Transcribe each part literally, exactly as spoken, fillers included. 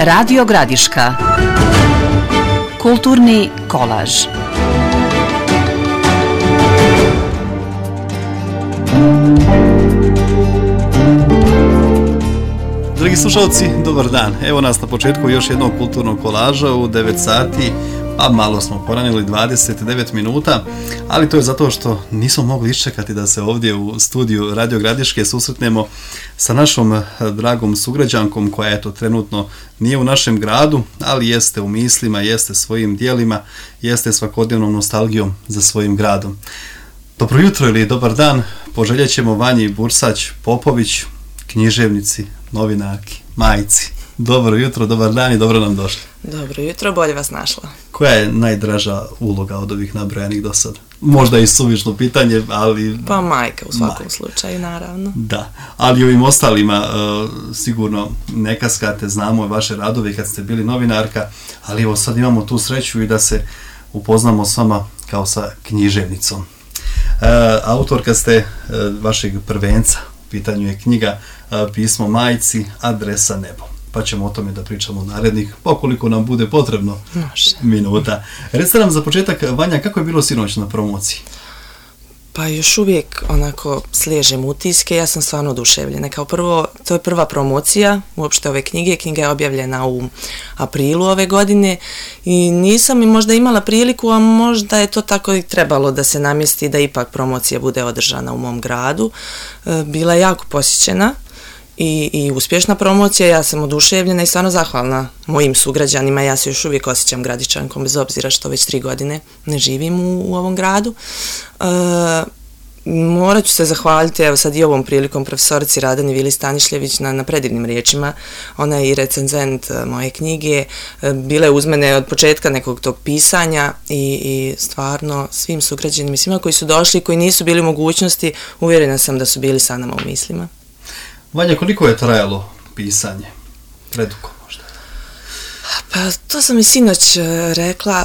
Radio Gradiška. Kulturni kolaž. Dragi slušalci, dobar dan. Evo nas na početku još jednog kulturnog kolaža u devet sati, a malo smo poranili, dvadeset devet minuta, ali to je zato što nismo mogli iščekati da se ovdje u studiju Radio Gradiške susretnemo sa našom dragom sugrađankom koja eto trenutno nije u našem gradu, ali jeste u mislima, jeste svojim dijelima, jeste svakodnevnom nostalgijom za svojim gradom. Dobro jutro ili dobar dan poželjet ćemo Vanji Bursać Popović, književnici, novinarki, majci. Dobro jutro, dobar dan i dobro nam došli. Dobro jutro, bolje vas našla. Koja je najdraža uloga od ovih nabrojanih do sada? Možda i suvišno pitanje, ali... Pa majka u svakom majka. slučaju, naravno. Da, ali ovim ostalima uh, sigurno ne kaskate, znamo vaše radove kad ste bili novinarka, ali evo sad imamo tu sreću i da se upoznamo s vama kao sa književnicom. Uh, autorka ste uh, vašeg prvenca, u pitanju je knjiga uh, Pismo majci, adresa nebo. Pa ćemo o tome da pričamo narednih, pokoliko nam bude potrebno. Može. Minuta. Recite nam za početak, Vanja, kako je bilo sinoć na promociji? Pa još uvijek onako sliježem utiske, ja sam stvarno oduševljena. Kao prvo, to je prva promocija uopšte ove knjige, knjiga je objavljena u aprilu ove godine i nisam i možda imala priliku, a možda je to tako i trebalo da se namjesti da ipak promocija bude održana u mom gradu. Bila je jako posjećena. I, i uspješna promocija, ja sam oduševljena i stvarno zahvalna mojim sugrađanima, ja se još uvijek osjećam Gradičankom bez obzira što već tri godine ne živim u, u ovom gradu. E, morat ću se zahvaliti evo sad i ovom prilikom profesorici Radani Vili Stanišljević na, na predivnim riječima, ona je i recenzent moje knjige, e, bila je uz mene od početka nekog tog pisanja i, i stvarno svim sugrađanima, svima koji su došli, koji nisu bili u mogućnosti, uvjerena sam da su bili sa nama u mislima. Vanja, koliko je trajalo pisanje? Predugo možda? Pa to sam i sinoć rekla,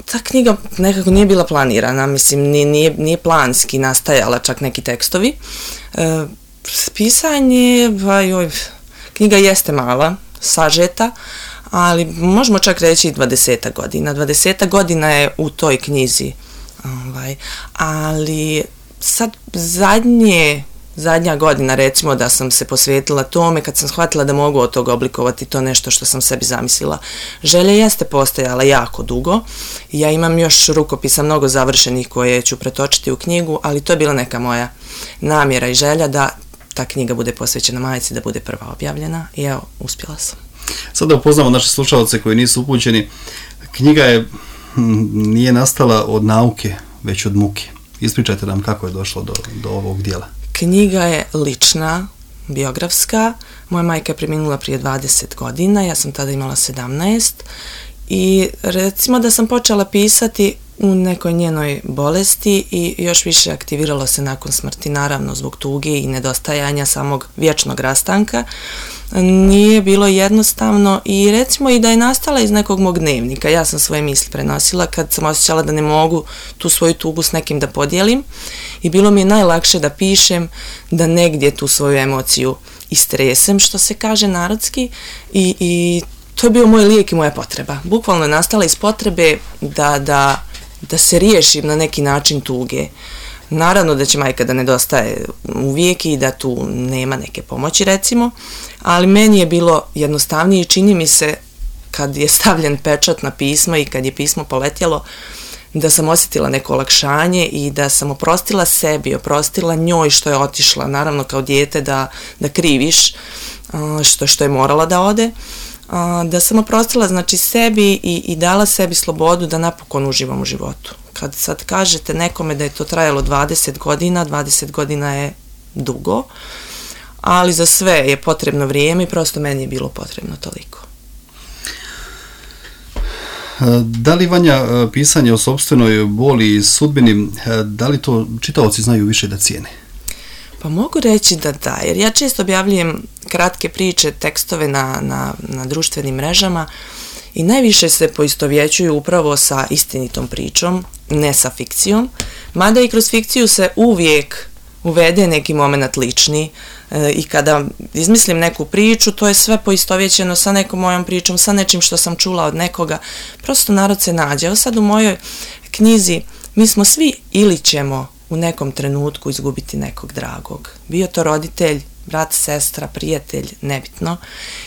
ta knjiga nekako nije bila planirana, mislim nije, nije planski nastajala čak neki tekstovi. E, pisanje, pa joj, knjiga jeste mala, sažeta, ali možemo čak reći i dvadesetak godina. dvadesetak godina je u toj knjizi, ovaj, ali sad zadnje Zadnja godina recimo da sam se posvetila tome kad sam shvatila da mogu od toga oblikovati to nešto što sam sebi zamislila. Želja jeste postojala jako dugo. Ja imam još rukopisa mnogo završenih koje ću pretočiti u knjigu, ali to je bila neka moja namjera i želja da ta knjiga bude posvećena majci, da bude prva objavljena i evo, uspjela sam. Sada upoznamo naše slušalce koji nisu upućeni. Knjiga je nije nastala od nauke, već od muke. Ispričajte nam kako je došlo do, do ovog dijela. Knjiga je lična, biografska. Moja majka je preminula prije dvadeset godina, ja sam tada imala sedamnaest i recimo da sam počela pisati u nekoj njenoj bolesti i još više aktiviralo se nakon smrti, naravno zbog tuge i nedostajanja samog vječnog rastanka. Nije bilo jednostavno i recimo i da je nastala iz nekog mog dnevnika. Ja sam svoje misli prenosila kad sam osjećala da ne mogu tu svoju tugu s nekim da podijelim i bilo mi je najlakše da pišem, da negdje tu svoju emociju istresem, što se kaže narodski i, i to je bio moj lijek i moja potreba. Bukvalno je nastala iz potrebe da, da, da se riješim na neki način tuge. Naravno da će majka da nedostaje uvijek i da tu nema neke pomoći recimo, ali meni je bilo jednostavnije i čini mi se kad je stavljen pečat na pismo i kad je pismo poletjelo da sam osjetila neko olakšanje i da sam oprostila sebi, oprostila njoj što je otišla, naravno kao dijete da, da kriviš što, što je morala da ode, da sam oprostila znači sebi i, i dala sebi slobodu da napokon uživam u životu. Kad sad kažete nekome da je to trajalo dvadeset godina, dvadeset godina je dugo, ali za sve je potrebno vrijeme i prosto meni je bilo potrebno toliko. Da li, Vanja, pisanje o sopstvenoj boli i sudbini, da li to čitaoci znaju više da cijene? Pa mogu reći da da, jer ja često objavljujem kratke priče, tekstove na, na, na društvenim mrežama i najviše se poistovjećuju upravo sa istinitom pričom, ne sa fikcijom, mada i kroz fikciju se uvijek uvede neki moment lični e, i kada izmislim neku priču, to je sve poistovjećeno sa nekom mojom pričom, sa nečim što sam čula od nekoga. Prosto narod se nađe. Evo sad u mojoj knjizi mi smo svi ili ćemo u nekom trenutku izgubiti nekog dragog. Bio to roditelj, brat, sestra, prijatelj, nebitno.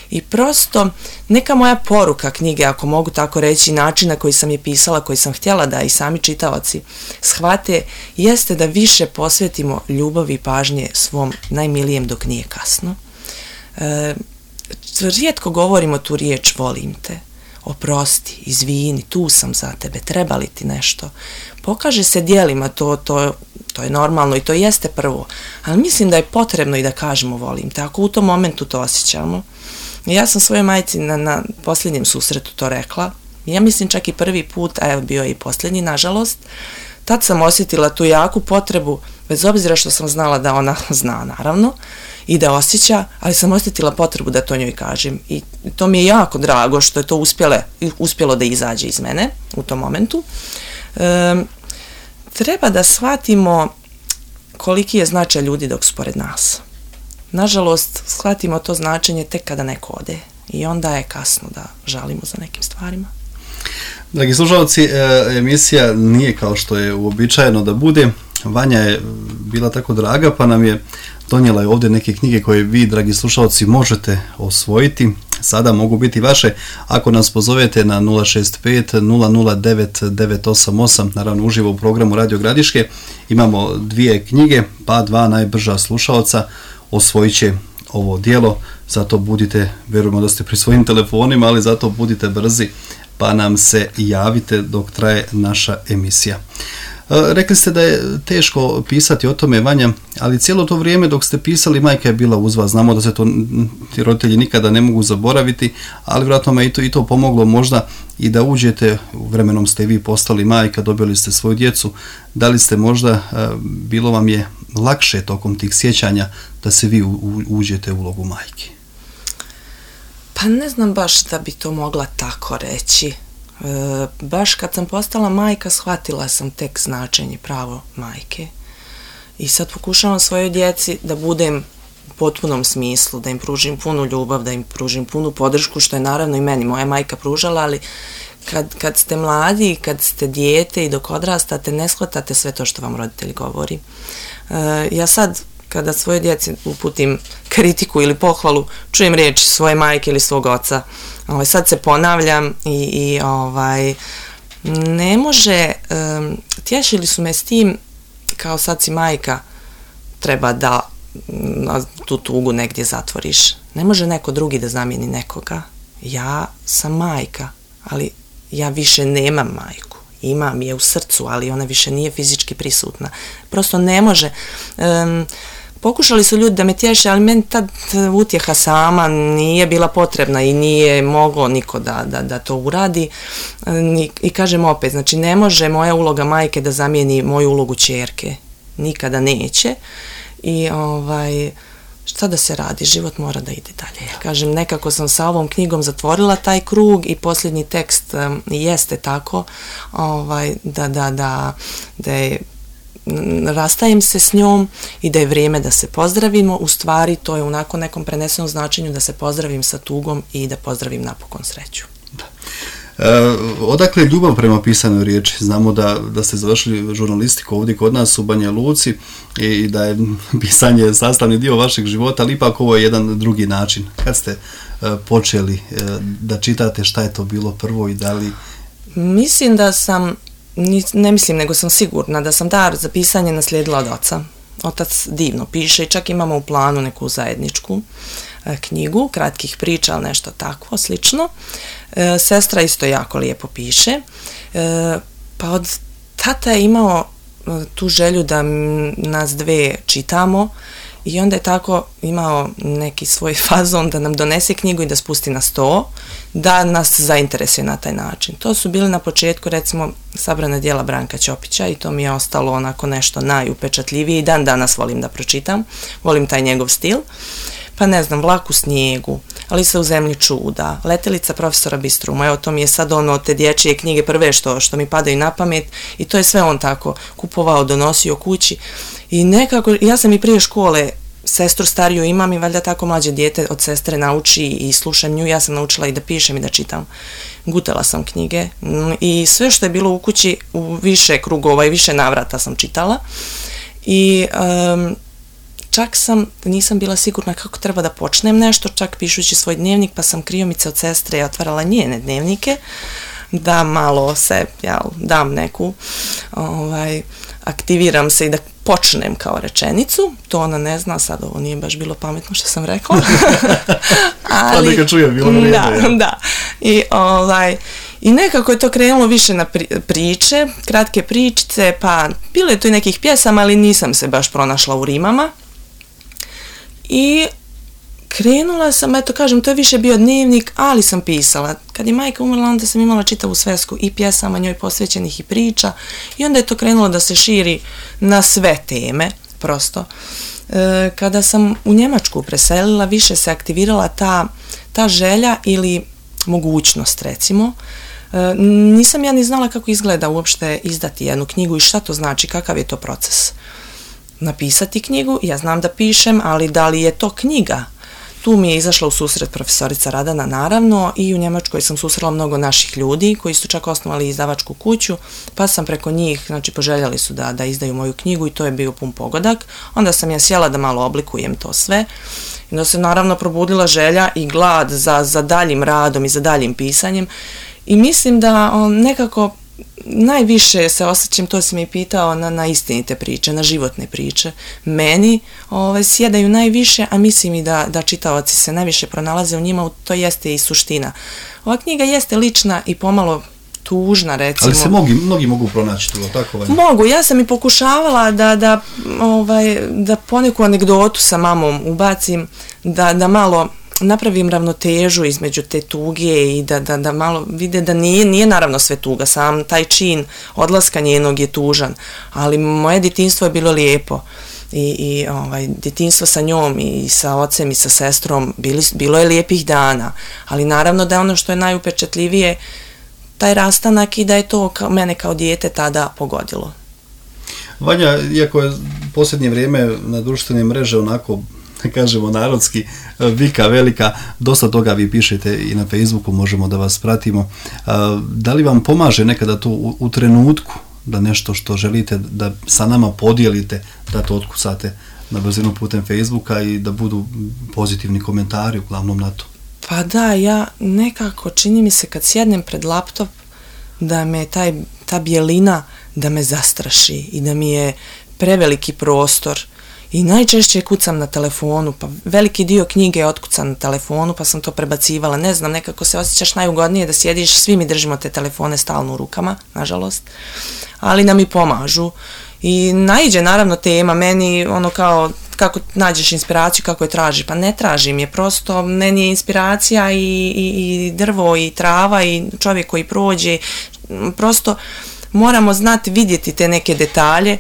I prosto neka moja poruka knjige, ako mogu tako reći, način na koji sam je pisala, koji sam htjela da i sami čitaoci shvate, jeste da više posvetimo ljubavi i pažnje svom najmilijem dok nije kasno. E, rijetko govorimo tu riječ volim te, oprosti, izvini, tu sam za tebe, treba li ti nešto. Pokaže se djelima, to, to, to je normalno i to jeste prvo, ali mislim da je potrebno i da kažemo volim te, ako u tom momentu to osjećamo. Ja sam svojoj majci na, na posljednjem susretu to rekla, ja mislim čak i prvi put, a evo bio je i posljednji, nažalost, tad sam osjetila tu jaku potrebu, bez obzira što sam znala da ona zna, naravno, i da osjeća, ali sam osjetila potrebu da to njoj kažem. I to mi je jako drago što je to uspjele, uspjelo da izađe iz mene u tom momentu. E, treba da shvatimo koliki je značaj ljudi dok su pored nas. Nažalost, shvatimo to značenje tek kada neko ode i onda je kasno da žalimo za nekim stvarima. Dragi slušalci, emisija nije kao što je uobičajeno da bude. Vanja je bila tako draga pa nam je donijela je ovdje neke knjige koje vi, dragi slušalci, možete osvojiti. Sada mogu biti vaše ako nas pozovete na nula šest pet nula nula devet devet osam osam, naravno uživo u programu Radio Gradiške. Imamo dvije knjige, pa dva najbrža slušalca osvojit će ovo djelo, zato budite, vjerujemo da ste pri svojim telefonima, ali zato budite brzi pa nam se javite dok traje naša emisija. Rekli ste da je teško pisati o tome, Vanja, ali cijelo to vrijeme dok ste pisali majka je bila uz vas. Znamo da se to ti roditelji nikada ne mogu zaboraviti, ali vjerojatno me i to, i to pomoglo možda i da uđete, vremenom ste vi postali majka, dobili ste svoju djecu. Da li ste možda, bilo vam je lakše tokom tih sjećanja da se vi uđete u ulogu majke? Pa ne znam baš da bi to mogla tako reći. E, baš kad sam postala majka shvatila sam tek značenje pravo majke i sad pokušavam svojoj djeci da budem u potpunom smislu, da im pružim punu ljubav, da im pružim punu podršku, što je naravno i meni moja majka pružala, ali kad, kad ste mladi, kad ste dijete i dok odrastate ne shvatate sve to što vam roditelj govori. E, ja sad kada svoje djeci uputim kritiku ili pohvalu, čujem riječi svoje majke ili svog oca. Ovaj, sad se ponavljam i, i ovaj, ne može, um, tješili su me s tim, kao sad si majka, treba da um, tu tugu negdje zatvoriš. Ne može neko drugi da zamijeni nekoga. Ja sam majka, ali ja više nemam majku. Imam je u srcu, ali ona više nije fizički prisutna. Prosto ne može. Um, Pokušali su ljudi da me tješe, ali meni tad utjeha sama nije bila potrebna i nije moglo niko da, da, da to uradi. I, i kažem opet, znači ne može moja uloga majke da zamijeni moju ulogu ćerke. Nikada neće. I ovaj, šta da se radi, život mora da ide dalje. Kažem, nekako sam sa ovom knjigom zatvorila taj krug i posljednji tekst um, jeste tako ovaj, da, da, da, da je rastajem se s njom i da je vrijeme da se pozdravimo. U stvari to je u nakon nekom prenesenom značenju da se pozdravim sa tugom i da pozdravim napokon sreću. Da. E, odakle ljubav prema pisanoj riječi? Znamo da, da ste završili žurnalistiku ovdje kod nas u Banja Luci i da je pisanje sastavni dio vašeg života, ali ipak ovo je jedan drugi način. Kad ste e, počeli e, da čitate, šta je to bilo prvo i da li... Mislim da sam ne mislim, nego sam sigurna da sam dar za pisanje naslijedila od oca. Otac divno piše i čak imamo u planu neku zajedničku e, knjigu, kratkih priča, ali nešto takvo, slično. E, sestra isto jako lijepo piše. E, pa od tata je imao e, tu želju da m, nas dve čitamo i onda je tako imao neki svoj fazon da nam donese knjigu i da spusti na sto, da nas zainteresuje na taj način. To su bili na početku, recimo, sabrana djela Branka Ćopića i to mi je ostalo onako nešto najupečatljivije i dan danas volim da pročitam, volim taj njegov stil. Pa ne znam, Vlak u snijegu, Alisa u zemlji čuda, Letelica profesora Bistruma, evo to mi je sad ono te dječje knjige prve što, što mi padaju na pamet i to je sve on tako kupovao, donosio kući i nekako, ja sam i prije škole sestru stariju imam i valjda tako mlađe dijete od sestre nauči i slušam nju, ja sam naučila i da pišem i da čitam. Gutala sam knjige i sve što je bilo u kući u više krugova i više navrata sam čitala i um, čak sam, nisam bila sigurna kako treba da počnem nešto, čak pišući svoj dnevnik, pa sam kriomice od sestre otvarala njene dnevnike, da malo se, ja, dam neku, ovaj, aktiviram se i da počnem kao rečenicu, to ona ne zna, sad ovo nije baš bilo pametno što sam rekla. Ali, pa neka čuje, bilo vreme. Da, ja. da. I, ovaj, I nekako je to krenulo više na pri, priče, kratke pričice, pa bilo je tu i nekih pjesama, ali nisam se baš pronašla u rimama. I krenula sam, eto kažem, to je više bio dnevnik, ali sam pisala. Kad je majka umrla, onda sam imala čitavu svesku i pjesama njoj posvećenih i priča i onda je to krenulo da se širi na sve teme, prosto. E, kada sam u Njemačku preselila, više se aktivirala ta, ta želja ili mogućnost, recimo. E, nisam ja ni znala kako izgleda uopšte izdati jednu knjigu i šta to znači, kakav je to proces. Napisati knjigu, ja znam da pišem, ali da li je to knjiga? Tu mi je izašla u susret profesorica Radana, naravno, i u Njemačkoj sam susrela mnogo naših ljudi koji su čak osnovali izdavačku kuću, pa sam preko njih, znači poželjeli su da, da izdaju moju knjigu i to je bio pun pogodak. Onda sam ja sjela da malo oblikujem to sve i onda se naravno probudila želja i glad za, za daljim radom i za daljim pisanjem i mislim da on, nekako najviše se osjećam, to si mi pitao, na, na istinite priče, na životne priče. Meni ove, sjedaju najviše, a mislim i da, da čitaoci se najviše pronalaze u njima, to jeste i suština. Ova knjiga jeste lična i pomalo tužna, recimo. Ali se mnogi, mnogi mogu pronaći tu, tako? Ovaj? Mogu, ja sam i pokušavala da, da, ovaj, da poneku anegdotu sa mamom ubacim, da, da malo napravim ravnotežu između te tuge i da, da, da malo vide da nije, nije naravno sve tuga, sam taj čin odlaska njenog je tužan, ali moje djetinjstvo je bilo lijepo i, i ovaj, djetinjstvo sa njom i sa ocem i sa sestrom bili, bilo je lijepih dana, ali naravno da je ono što je najupečatljivije taj rastanak i da je to kao, mene kao dijete tada pogodilo. Vanja, iako je posljednje vrijeme na društvene mreže onako, kažemo narodski, vika velika, dosta toga vi pišete i na Facebooku, možemo da vas pratimo. Da li vam pomaže nekada to u, u trenutku da nešto što želite da sa nama podijelite, da to otkucate na brzinu putem Facebooka i da budu pozitivni komentari uglavnom na to? Pa da, ja nekako čini mi se kad sjednem pred laptop da me taj, ta bijelina da me zastraši i da mi je preveliki prostor. I najčešće kucam na telefonu, pa veliki dio knjige je otkucan na telefonu, pa sam to prebacivala. Ne znam, nekako se osjećaš najugodnije da sjediš, svi mi držimo te telefone stalno u rukama, nažalost, ali nam i pomažu. I naiđe naravno tema, meni ono kao, kako nađeš inspiraciju, kako je traži, pa ne tražim je, prosto meni je inspiracija i, i, i drvo i trava i čovjek koji prođe, prosto moramo znati vidjeti te neke detalje.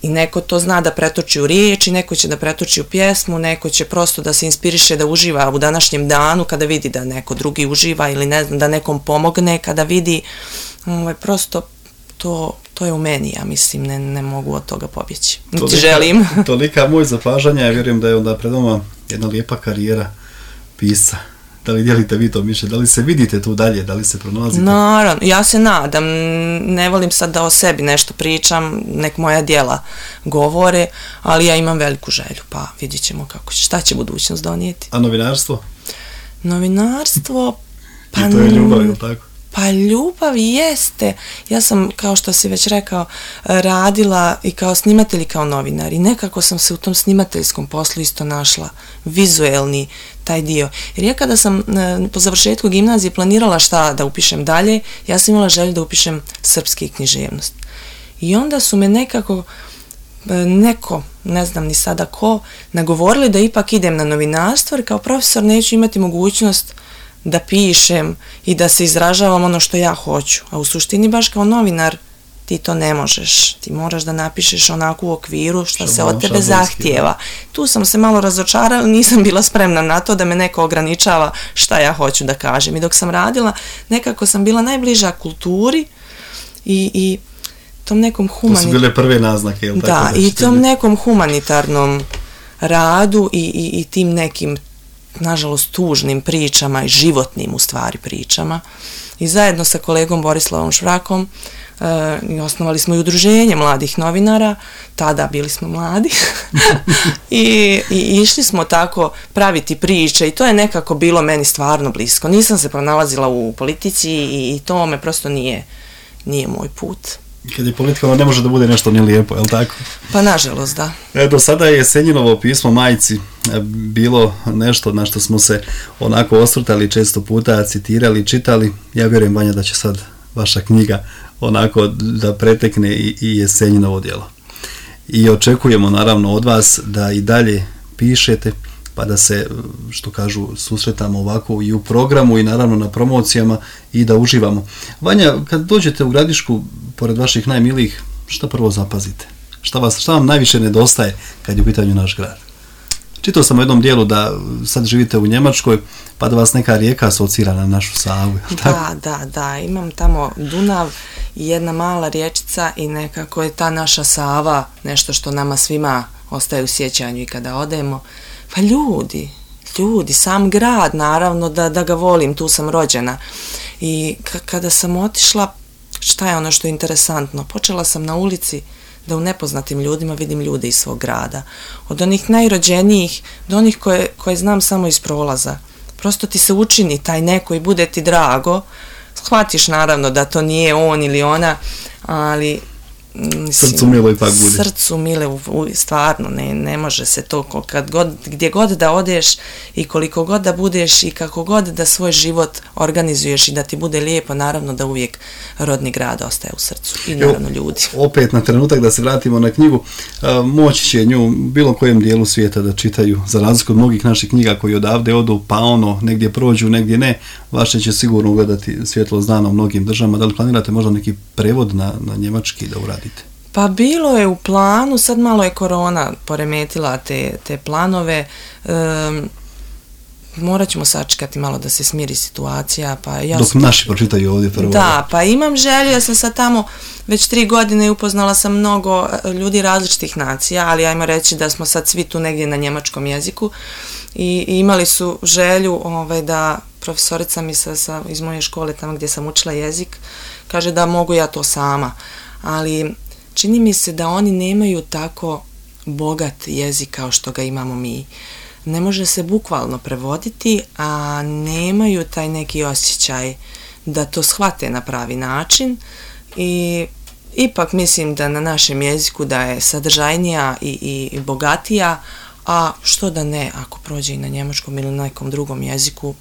I neko to zna da pretoči u riječi, neko će da pretoči u pjesmu, neko će prosto da se inspiriše da uživa u današnjem danu kada vidi da neko drugi uživa ili ne znam, da nekom pomogne, kada vidi, ovaj, prosto to, to je u meni, ja mislim, ne, ne mogu od toga pobjeći. Niti želim. Tolika moj zapažanja, ja vjerujem da je onda pred vama jedna lijepa karijera pisca. Da li dijelite vi to mišljenje? Da li se vidite tu dalje? Da li se pronalazite? Naravno, ja se nadam. Ne volim sad da o sebi nešto pričam, nek moja djela govore, ali ja imam veliku želju, pa vidjet ćemo kako će, šta će budućnost donijeti. A novinarstvo? Novinarstvo, pa... I to je ljubav, ili tako? Pa ljubav jeste. Ja sam, kao što si već rekao, radila i kao snimatelj i kao novinar i nekako sam se u tom snimateljskom poslu isto našla, vizuelni taj dio. Jer ja kada sam po završetku gimnazije planirala šta da upišem dalje, ja sam imala želju da upišem srpski književnost. I onda su me nekako neko, ne znam ni sada ko, nagovorili da ipak idem na novinarstvo, jer kao profesor neću imati mogućnost da pišem i da se izražavam ono što ja hoću. A u suštini baš kao novinar ti to ne možeš, ti moraš da napišeš onako u okviru što se od tebe šablonski, zahtijeva. Tu sam se malo razočarala, nisam bila spremna na to da me neko ograničava šta ja hoću da kažem. I dok sam radila, nekako sam bila najbliža kulturi i, i tom nekom humanitarnom... To su bile prve naznake, jel' tako? Da, i tom nekom humanitarnom radu i, i, i tim nekim, nažalost, tužnim pričama i životnim, u stvari, pričama. I zajedno sa kolegom Borislavom Švrakom uh, osnovali smo i udruženje mladih novinara, tada bili smo mladi, I, i išli smo tako praviti priče i to je nekako bilo meni stvarno blisko. Nisam se pronalazila u politici i, i to me prosto nije, nije moj put. Kad je politika, ono ne može da bude nešto ni lijepo, je li tako? Pa nažalost, da. E, do sada je Senjinovo pismo majci bilo nešto na što smo se onako osvrtali često puta, citirali, čitali. Ja vjerujem, Vanja, da će sad vaša knjiga onako da pretekne i, i Jesenjinovo djelo. I očekujemo naravno od vas da i dalje pišete, pa da se, što kažu, susretamo ovako i u programu i naravno na promocijama i da uživamo. Vanja, kad dođete u Gradišku, pored vaših najmilijih, šta prvo zapazite? Šta, vas, šta vam najviše nedostaje kad je u pitanju naš grad? Čitao sam u jednom dijelu da sad živite u Njemačkoj, pa da vas neka rijeka asocira na našu Savu. Da, da, da, imam tamo Dunav i jedna mala riječica i nekako je ta naša Sava nešto što nama svima ostaje u sjećanju i kada odemo. Pa ljudi, ljudi, sam grad, naravno da, da ga volim, tu sam rođena. I k- kada sam otišla, šta je ono što je interesantno? Počela sam na ulici da u nepoznatim ljudima vidim ljude iz svog grada. Od onih najrođenijih do onih koje, koje znam samo iz prolaza. Prosto ti se učini taj neko i bude ti drago. Shvatiš naravno da to nije on ili ona, ali... Mislim, srcu milo ipak bude. Srcu mile, u, u, stvarno, ne, ne može se to, kad god, gdje god da odeš i koliko god da budeš i kako god da svoj život organizuješ i da ti bude lijepo, naravno da uvijek rodni grad ostaje u srcu i naravno Evo, ljudi. Opet na trenutak da se vratimo na knjigu, moći će nju u bilo kojem dijelu svijeta da čitaju, za razliku od mnogih naših knjiga koji odavde odu, pa ono, negdje prođu, negdje ne, vaše će sigurno ugledati svjetlo dana u mnogim državama. Da li planirate možda neki prevod na, na njemački da uradite? Pa bilo je u planu, sad malo je korona poremetila te, te planove, um, morat ćemo sačekati malo da se smiri situacija. Pa ja Dok sam, naši pročitaju ovdje prvo. Da, pa imam želju, ja sam sad tamo već tri godine i upoznala sam mnogo ljudi različitih nacija, ali ajmo reći da smo sad svi tu negdje na njemačkom jeziku i, i imali su želju ovaj, da profesorica mi sa, sa, iz moje škole tamo gdje sam učila jezik kaže da mogu ja to sama, ali čini mi se da oni nemaju tako bogat jezik kao što ga imamo mi. Ne može se bukvalno prevoditi, a nemaju taj neki osjećaj da to shvate na pravi način i ipak mislim da na našem jeziku da je sadržajnija i, i, i bogatija, a što da ne, ako prođe i na njemačkom ili na nekom drugom jeziku,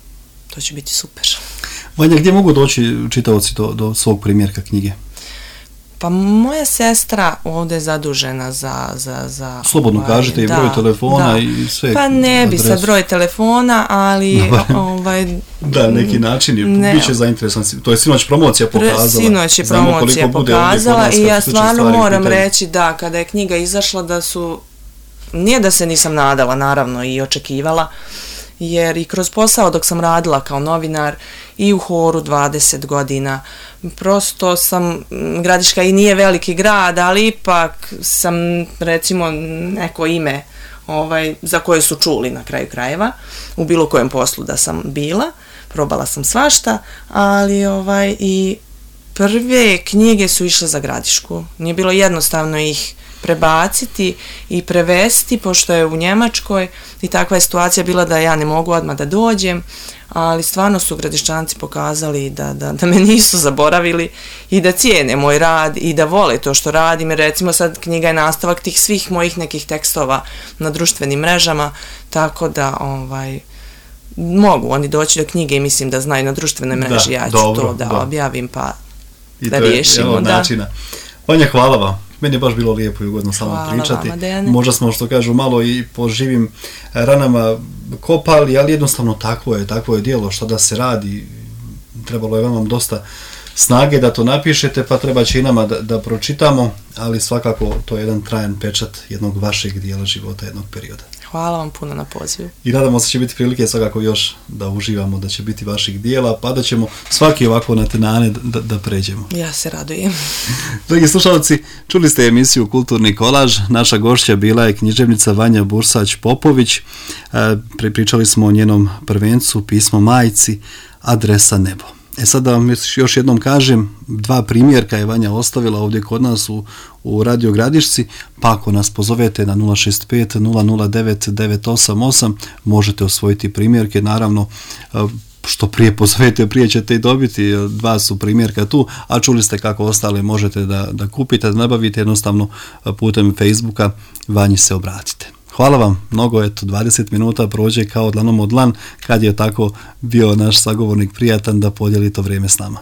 to će biti super. Vanja, gdje mogu doći čitaoci do, do svog primjerka knjige? Pa moja sestra ovdje je zadužena za... za, za Slobodno ovaj, kažete i da, broj telefona da. i sve. Pa ne bi adresu. sad broj telefona, ali... No, ovaj, da, neki način, ne, bit će zainteresan. To je sinoć promocija pokazala. Sinoć je promocija pokazala i ja stvarno moram reći da kada je knjiga izašla da su... Nije da se nisam nadala, naravno, i očekivala, jer i kroz posao dok sam radila kao novinar i u Horu dvadeset godina, prosto sam, Gradiška i nije veliki grad, ali ipak sam recimo neko ime ovaj, za koje su čuli na kraju krajeva, u bilo kojem poslu da sam bila, probala sam svašta, ali ovaj, i prve knjige su išle za Gradišku, nije bilo jednostavno ih prebaciti i prevesti, pošto je u Njemačkoj i takva je situacija bila da ja ne mogu odmah da dođem, ali stvarno su Gradiščanci pokazali da, da, da me nisu zaboravili i da cijene moj rad i da vole to što radim. Recimo sad knjiga je nastavak tih svih mojih nekih tekstova na društvenim mrežama, tako da ovaj, mogu oni doći do knjige i mislim da znaju na društvenoj mreži, da, ja ću dobro, to da, da objavim pa I da riješimo. I to je Vanja, hvala vam. Meni je baš bilo lijepo i ugodno sa vama pričati. Vama, možda smo, što kažu, malo i po živim ranama kopali, ali jednostavno takvo je, takvo je djelo, što da se radi. Trebalo je vam dosta snage da to napišete, pa treba će i nama da, da pročitamo, ali svakako to je jedan trajan pečat jednog vašeg dijela života, jednog perioda. Hvala vam puno na pozivu. I nadamo se će biti prilike svakako još da uživamo, da će biti vaših dijela, pa da ćemo svaki ovako na tenane da, da pređemo. Ja se radujem. Dragi slušalci, čuli ste emisiju Kulturni kolaž. Naša gošća bila je književnica Vanja Bursać-Popović. Pričali smo o njenom prvencu, pismo majci, adresa nebo. E sad da vam još jednom kažem, dva primjerka je Vanja ostavila ovdje kod nas u, u Radio Gradišci, pa ako nas pozovete na nula šest pet nula nula devet devet osam osam možete osvojiti primjerke, naravno što prije pozovete, prije ćete i dobiti, dva su primjerka tu, a čuli ste kako ostale možete da, da kupite, da nabavite, jednostavno putem Facebooka Vanji se obratite. Hvala vam mnogo, eto dvadeset minuta prođe kao dlanom od dlan kad je tako bio naš sagovornik prijatan da podijeli to vrijeme s nama.